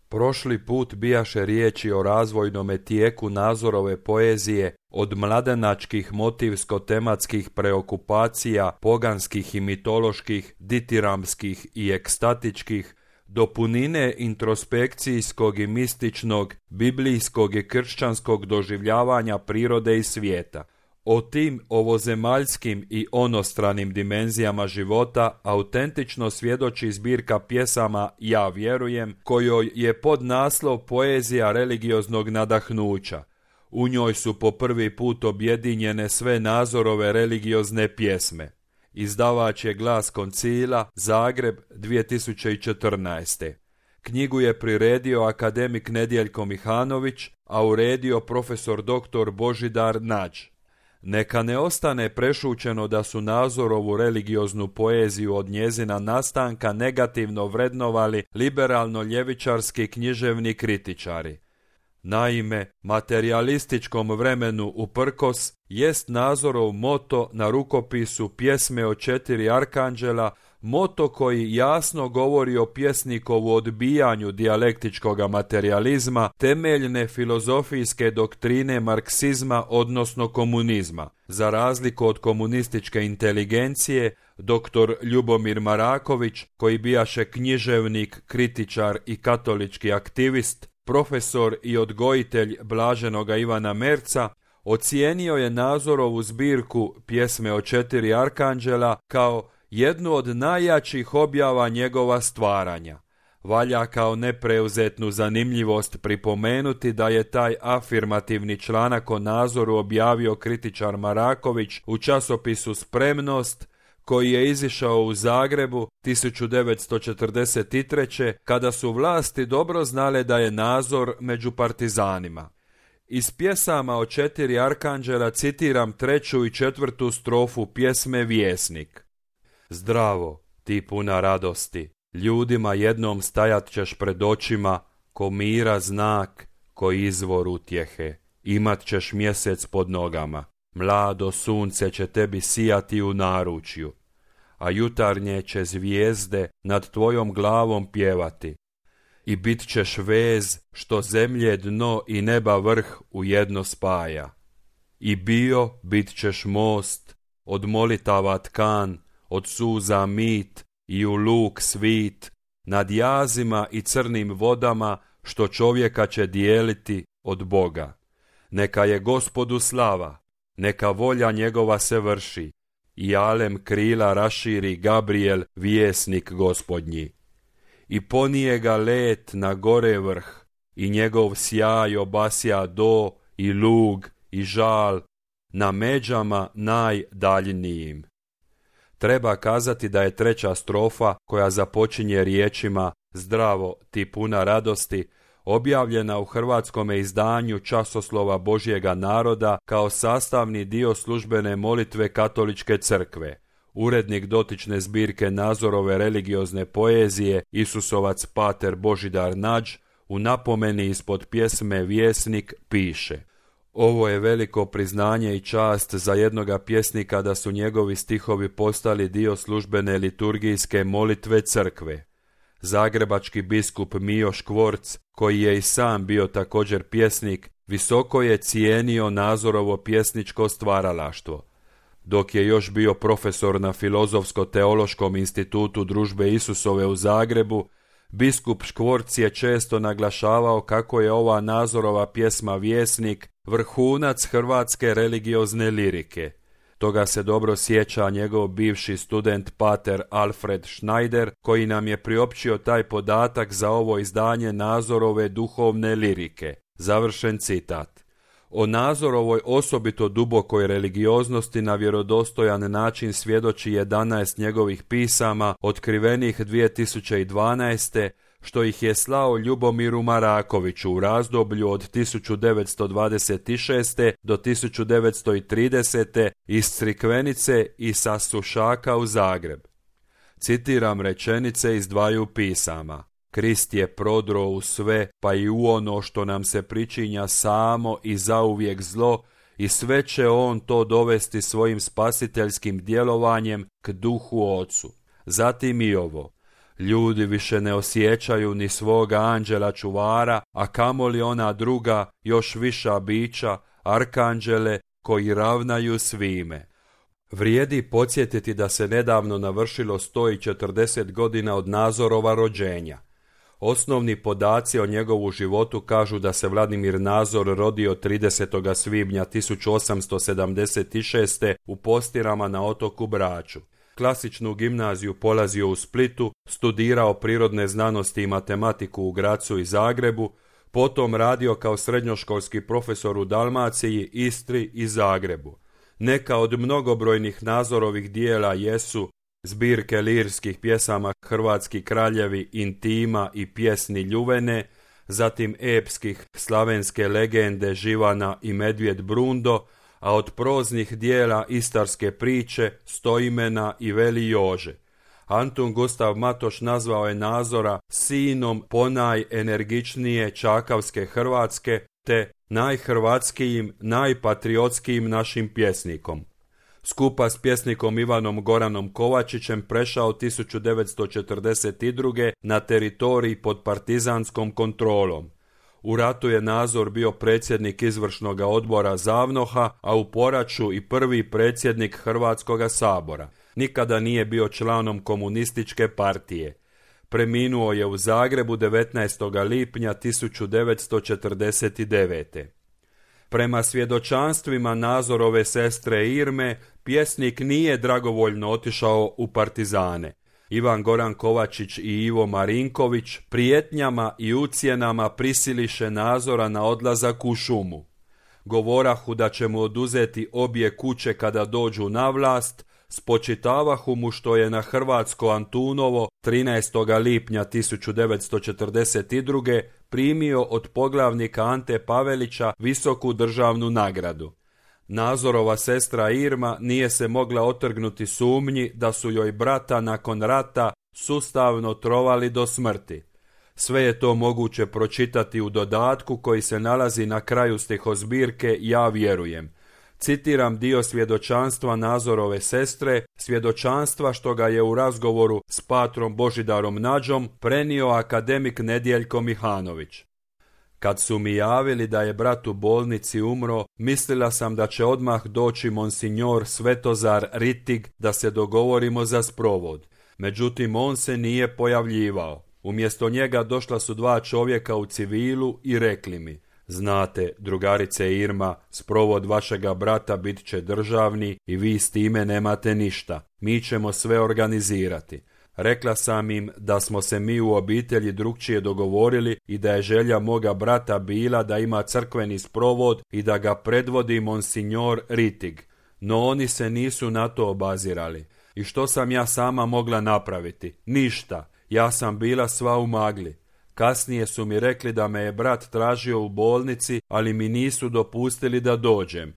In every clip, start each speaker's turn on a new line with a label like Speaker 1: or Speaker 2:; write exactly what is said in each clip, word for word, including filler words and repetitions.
Speaker 1: Prošli put bijaše riječi o razvojnome tijeku Nazorove poezije od mladenačkih motivsko-tematskih preokupacija, poganskih i mitoloških, ditiramskih i ekstatičkih, do punine introspekcijskog i mističnog, biblijskog i kršćanskog doživljavanja prirode i svijeta. O tim ovozemaljskim i onostranim dimenzijama života autentično svjedoči zbirka pjesama Ja vjerujem, kojoj je podnaslov Poezija religioznog nadahnuća. U njoj su po prvi put objedinjene sve Nazorove religiozne pjesme. Izdavač je Glas Koncila, Zagreb, dvije tisuće četrnaeste. Knjigu je priredio akademik Nedjeljko Mihanović, a uredio profesor doktor Božidar Nađ. Neka ne ostane prešućeno da su Nazorovu religioznu poeziju od njezina nastanka negativno vrednovali liberalno-ljevičarski književni kritičari. Naime, materijalističkom vremenu uprkos jest Nazorov moto na rukopisu Pjesme o četiri arkanđela, moto koji jasno govori o pjesnikovu odbijanju dijalektičkog materijalizma, temeljne filozofijske doktrine marksizma odnosno komunizma. Za razliku od komunističke inteligencije, doktor Ljubomir Maraković, koji bijaše književnik, kritičar i katolički aktivist, profesor i odgojitelj blaženoga Ivana Merca, ocijenio je Nazorovu zbirku Pjesme o četiri arkanđela kao jednu od najjačih objava njegova stvaranja. Valja kao nepreuzetnu zanimljivost pripomenuti da je taj afirmativni članak o Nazoru objavio kritičar Maraković u časopisu Spremnost, koji je izišao u Zagrebu tisuću devetsto četrdeset treće. kada su vlasti dobro znale da je Nazor među partizanima. Iz pjesama o četiri arkanđela citiram treću i četvrtu strofu pjesme Vjesnik. Zdravo, ti puna radosti, ljudima jednom stajat ćeš pred očima, ko mira znak, ko izvor utjehe, imat ćeš mjesec pod nogama, mlado sunce će tebi sijati u naručju, a jutarnje će zvijezde nad tvojom glavom pjevati, i bit ćeš vez što zemlje dno i neba vrh u jedno spaja. I bio bit ćeš most, od molitava tkan, od suza mit i u luk svit, nad jazima i crnim vodama što čovjeka će dijeliti od Boga. Neka je Gospodu slava, neka volja njegova se vrši, i alem krila raširi Gabriel, vjesnik Gospodnji. I ponije ga let na gore vrh, i njegov sjaj obasja do i lug i žal na međama najdaljnijim. Treba kazati da je treća strofa, koja započinje riječima Zdravo, ti puna radosti, objavljena u hrvatskome izdanju Časoslova Božjega naroda kao sastavni dio službene molitve Katoličke crkve. Urednik dotične zbirke Nazorove religiozne poezije, Isusovac pater Božidar Nađ, u napomeni ispod pjesme Vjesnik piše: Ovo je veliko priznanje i čast za jednoga pjesnika da su njegovi stihovi postali dio službene liturgijske molitve crkve. Zagrebački biskup Mijo Škvorc, koji je i sam bio također pjesnik, visoko je cijenio Nazorovo pjesničko stvaralaštvo. Dok je još bio profesor na Filozofsko-teološkom institutu Družbe Isusove u Zagrebu, biskup Škvorc je često naglašavao kako je ova Nazorova pjesma Vjesnik vrhunac hrvatske religiozne lirike. Toga se dobro sjeća njegov bivši student pater Alfred Schneider, koji nam je priopćio taj podatak za ovo izdanje Nazorove duhovne lirike. Završen citat. O Nazorovoj osobito dubokoj religioznosti na vjerodostojan način svjedoči jedanaest njegovih pisama otkrivenih dvije tisuće dvanaeste. što ih je slao Ljubomiru Marakoviću u razdoblju od tisuću devetsto dvadeset šeste. do tisuću devetsto tridesete. iz Crikvenice i sa Sušaka u Zagreb. Citiram rečenice iz dvaju pisama. Krist je prodro u sve, pa i u ono što nam se pričinja samo i zauvijek zlo, i sve će on to dovesti svojim spasiteljskim djelovanjem k duhu Ocu. Zatim i ovo. Ljudi više ne osjećaju ni svoga anđela čuvara, a kamoli ona druga, još viša bića, arkanđele, koji ravnaju svime. Vrijedi podsjetiti da se nedavno navršilo sto četrdeset godina od Nazorova rođenja. Osnovni podaci o njegovu životu kažu da se Vladimir Nazor rodio tridesetog svibnja tisuću osamsto sedamdeset šeste. u Postirama na otoku Braču. Klasičnu gimnaziju polazio u Splitu, studirao prirodne znanosti i matematiku u Grazu i Zagrebu, potom radio kao srednjoškolski profesor u Dalmaciji, Istri i Zagrebu. Neka od mnogobrojnih Nazorovih dijela jesu zbirke lirskih pjesama Hrvatski kraljevi, Intima i pjesni Ljuvene, zatim epskih slavenske legende Živana i Medvjed Brundo, a od proznih dijela Istarske priče, Stoimena i Veli Jože. Antun Gustav Matoš nazvao je Nazora sinom ponajenergičnije čakavske Hrvatske te najhrvatskijim, najpatriotskijim našim pjesnikom. Skupa s pjesnikom Ivanom Goranom Kovačićem prešao tisuću devetsto četrdeset druge. na teritorij pod partizanskom kontrolom. U ratu je Nazor bio predsjednik izvršnog odbora Zavnoha, a u poraću i prvi predsjednik Hrvatskoga sabora. Nikada nije bio članom komunističke partije. Preminuo je u Zagrebu devetnaestog lipnja tisuću devetsto četrdeset devete. Prema svjedočanstvima Nazorove sestre Irme, pjesnik nije dragovoljno otišao u partizane. Ivan Goran Kovačić i Ivo Marinković prijetnjama i ucjenama prisiliše Nazora na odlazak u šumu. Govorahu da će mu oduzeti obje kuće kada dođu na vlast, spočitavahu mu što je na hrvatsko Antunovo trinaestog lipnja tisuću devetsto četrdeset druge. primio od poglavnika Ante Pavelića visoku državnu nagradu. Nazorova sestra Irma nije se mogla otrgnuti sumnji da su joj brata nakon rata sustavno trovali do smrti. Sve je to moguće pročitati u dodatku koji se nalazi na kraju stihozbirke Ja vjerujem. Citiram dio svjedočanstva Nazorove sestre, svjedočanstva što ga je u razgovoru s patrom Božidarom Nađom prenio akademik Nedjeljko Mihanović. Kad su mi javili da je brat u bolnici umro, mislila sam da će odmah doći monsignor Svetozar Ritig da se dogovorimo za sprovod. Međutim, on se nije pojavljivao. Umjesto njega došla su dva čovjeka u civilu i rekli mi: znate, drugarice Irma, sprovod vašega brata bit će državni i vi s time nemate ništa. Mi ćemo sve organizirati. Rekla sam im da smo se mi u obitelji drukčije dogovorili i da je želja moga brata bila da ima crkveni sprovod i da ga predvodi monsignor Ritig. No oni se nisu na to obazirali. I što sam ja sama mogla napraviti? Ništa. Ja sam bila sva u magli. Kasnije su mi rekli da me je brat tražio u bolnici, ali mi nisu dopustili da dođem.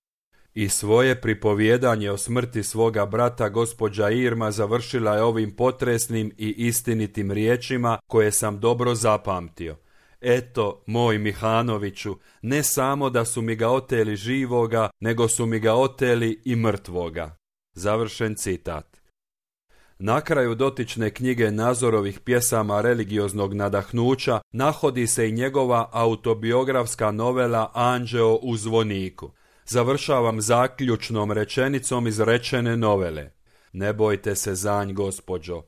Speaker 1: I svoje pripovjedanje o smrti svoga brata gospođa Irma završila je ovim potresnim i istinitim riječima koje sam dobro zapamtio. Eto, moj Mihanoviću, ne samo da su mi ga oteli živoga, nego su mi ga oteli i mrtvoga. Završen citat. Na kraju dotične knjige Nazorovih pjesama religioznog nadahnuća nahodi se i njegova autobiografska novela Anđeo u zvoniku. Završavam zaključnom rečenicom iz rečene novele. Ne bojte se zanj, gospođo.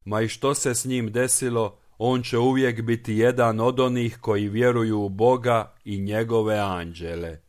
Speaker 1: Ma i što se s njim desilo, on će uvijek biti jedan od onih koji vjeruju u Boga i njegove anđele.